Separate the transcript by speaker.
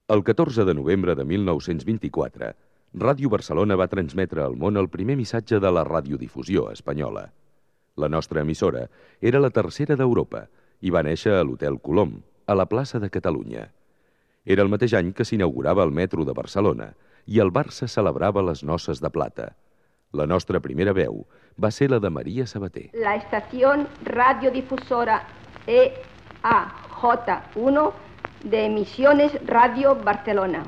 Speaker 1: El 14 de novembre de 1924, Ràdio Barcelona va transmetre al món el primer missatge de la radiodifusió espanyola. La nostra emissora era la tercera d'Europa i va néixer a l'Hotel Colom, a la plaça de Catalunya. Era el mateix any que s'inaugurava el metro de Barcelona i el Barça celebrava les noces de plata. La nostra primera veu va ser la de Maria Sabater.
Speaker 2: La estación radiodifusora EAJ1 de Emisiones Radio Barcelona.